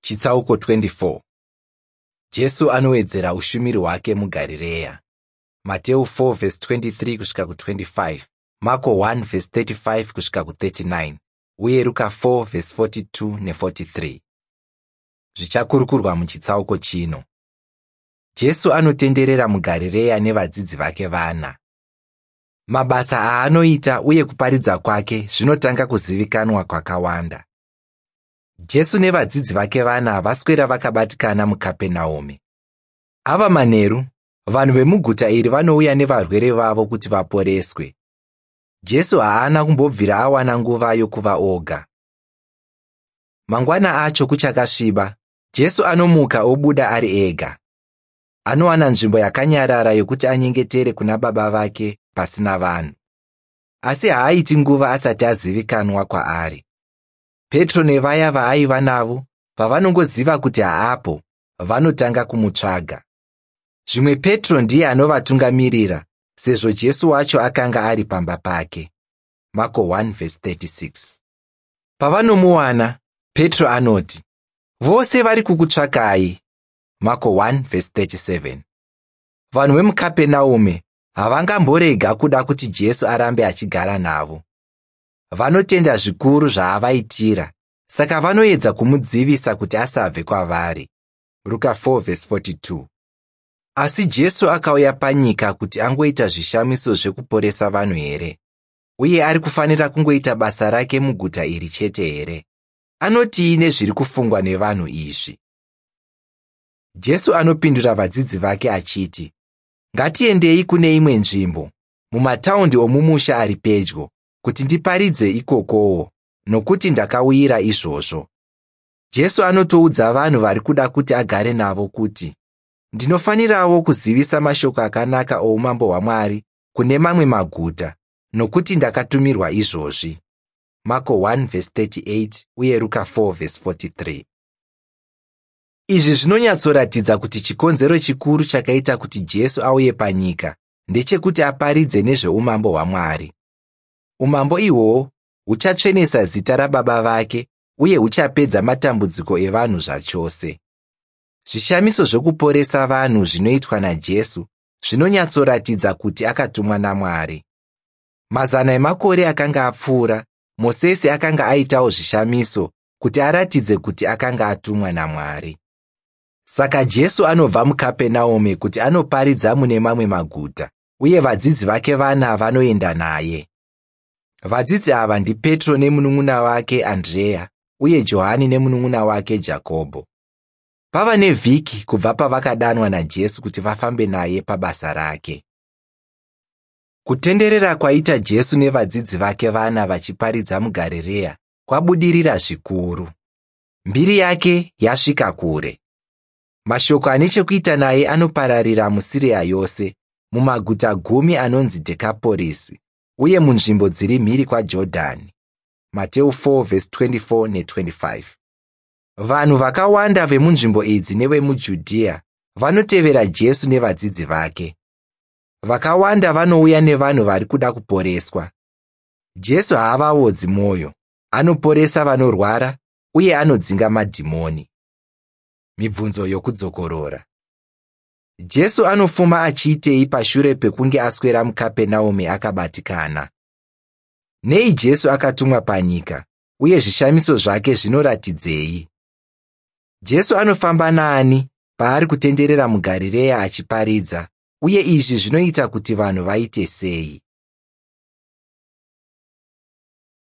Chitsauko 24. Jesu anowedzera ushumiri hwake muGarireya. Mateu 4:23 kusvika ku25, Marko 1:35 kusvika ku39 uye Ruka 4:42 ne43. Zvichakurukurwa muchitsauko chino. Jesu anotenderera muGarireya nevadzidzi vake vana. Mabasa aanoita uye kuparidza kwake zvinotanga kuzivikanwa kwakawanda. Jesu nevadzidzi vake vana vaswera vakabatikana muKapenaume. Ava manheru, vanhu vemuguta iri vanouya nevarwere vavo kuti vaporeswe. Jesu haana kumbobvira awana nguva yokuva oga. Mangwana acho kuchakasviba, Jesu anomuka obuda ari ega. Anowana nzvimbo yakanyarara yokuti anyengetere kuna Baba vake pasina vanhu. Asi haaiti nguva asati azivikanwa kwaari. Petro nevaya vaaiva navo pavanongoziva kuti haapo, vanotanga kumutsvaga. Zvimwe Petro ndiye anovatungamirira sezvo Jesu wacho akanga ari pamba pake. Marko 1:36. Pavanomuwana, Petro anoti, "Vose vari kukutsvakai." Marko 1:37. Vanhu vemuKapenaume havangamborega kuda kuti Jesu arambe achigara navo. Vanotenda zvikuru zvaavaitira, saka vanoedza kumudzivisa kuti asabve kwavari. Ruka 4:42. Asi Jesu akauya panyika kuti angoita zvishamiso zvekuporesa vanhu here? Uye ari kufanira kungoita basa rake muguta iri chete here? Anotii nezviri kufungwa nevanhu izvi? Jesu anopindura vadzidzi vake achiti, "Ngatiendei kune imwe nzvimbo, mumataundi omumusha ari pedyo, kuti ndiparidze ikokowo, nokuti ndakauyira izvozvo." Jesu anotoudza vanhu vari kuda kuti agare navo kuti, "Ndinofanirawo kuzivisa mashoko akanaka oumambo hwaMwari kune mamwe maguta, nokuti ndakatumirwa izvozvi." Marko 1:38 uye Ruka 4:43. Izvi zvinonyatsoratidza kuti chikonzero chikuru chakaita kuti Jesu auye panyika ndechekuti aparidze nezveumambo hwaMwari. Umambo ihwohwo huchatsvenesa zita raBaba vake uye huchapedza matambudziko evanhu zvachose. Zvishamiso zvokuporesa vanhu zvinoitwa naJesu zvinonyatsoratidza kuti akatumwa naMwari. Mazana emakore akanga apfuura, Mosesi akanga aitawo zvishamiso kuti aratidze kuti akanga atumwa naMwari. Saka Jesu anobva muKapenaume kuti anoparidza mune mamwe maguta, uye vadzidzi vake vana vanoenda naye. Vadzidzi ava ndiPetro nemunun'una wake Andreya uye Johani nemunun'una wake Jakobho. Pava nevhiki kubva pavakadanwa naJesu kuti vafambe naye pabasa rake. Kutenderera kwaita Jesu nevadzidzi vake vana vachiparidza muGarireya kwabudirira zvikuru. Mbiri yake yasvika kure. Mashoko ane chekuita naye anopararira muSiriya yose, mumaguta 10 anonzi Dhekaporisi uye munzvimbo dziri mhiri kwaJodhani. Mateu 4:24 ne25. Vanhu vakawanda vemunzvimbo idzi nevemuJudhiya vanotevera Jesu nevadzidzi vake. Vakawanda vanouya nevanhu vari kuda kuporeswa. Jesu haavaodzi mwoyo, anoporesa vanorwara uye anodzinga madhimoni. Mibvunzo yokudzokorora. Jesu anofuma achiitei pashure pekunge aswera muKapenaume akabatikana? Nei Jesu akatumwa panyika uye zvishamiso zvake zvinoratidzei? Jesu anofamba naani paari kutenderera muGarireya achiparidza, uye izvi zvinoita kuti vanhu vaite sei?